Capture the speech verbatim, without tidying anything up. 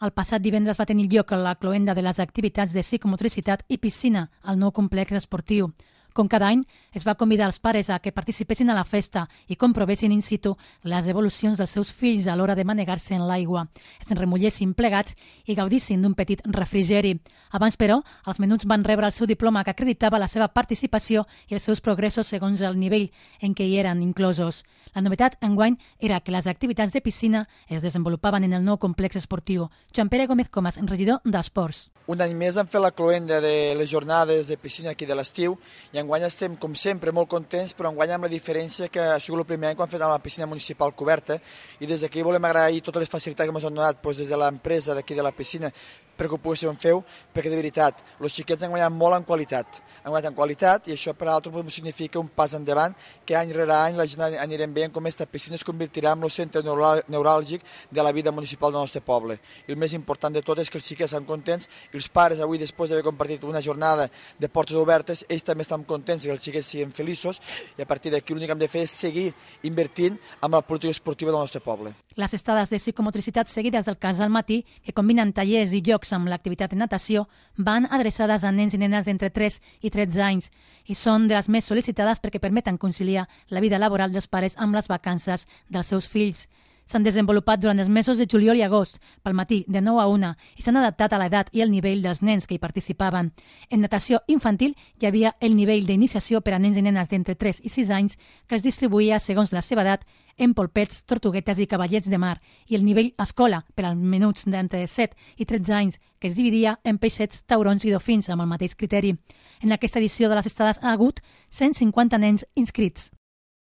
El passat divendres va tenir lloc la cloenda de les activitats de psicomotricitat i piscina al nou complex esportiu. Com cada any, es va convidar els pares a que participessin a la festa i comprovessin in situ les evolucions dels seus fills a l'hora de manegar-se en l'aigua, es remullessin plegats i gaudissin d'un petit refrigeri. Abans, però, els menuts van rebre el seu diploma que acreditava la seva participació i els seus progressos segons el nivell en què hi eren inclosos. La novetat enguany era que les activitats de piscina es desenvolupaven en el nou complex esportiu. Joan Pere Gómez Comas, regidor d'Esports. Un any més hem fet la cloenda de les jornades de piscina aquí de l'estiu i enguany estem, com sempre, molt contents, però enguany amb la diferència que ha sigut el primer any que hem fet a la piscina municipal coberta i des d'aquí volem agrair totes les facilitats que ens han donat doncs, des de l'empresa d'aquí de la piscina perquè ho poguéssim fer, perquè de veritat, els xiquets han guanyat molt en qualitat. Han guanyat en qualitat i això per a altres significa un pas endavant que any rere any la gent anirem veient com aquesta piscina es convertirà en el centre neuràlgic de la vida municipal del nostre poble. I el més important de tot és que els xiquets estan contents i els pares avui, després d'haver compartit una jornada de portes obertes, ells també estan contents que els xiquets siguin feliços i a partir d'aquí l'únic que hem de fer és seguir invertint en la política esportiva del nostre poble. Les estades de psicomotricitat seguides del cas al matí, que combinen tallers i jocs amb l'activitat de natació, van adreçades a nens i nenes d'entre tres i tretze anys i són de les més sol·licitades perquè permeten conciliar la vida laboral dels pares amb les vacances dels seus fills. S'han desenvolupat durant els mesos de juliol i agost, pel matí, de nou a una, i s'han adaptat a l'edat i el nivell dels nens que hi participaven. En natació infantil hi havia el nivell d'iniciació per a nens i nenes d'entre tres i sis anys que es distribuïa segons la seva edat en polpets, tortuguetes i cavallets de mar, i el nivell escola per als menuts d'entre set i tretze anys, que es dividia en peixets, taurons i dofins amb el mateix criteri. En aquesta edició de les estades ha hagut cent cinquanta nens inscrits.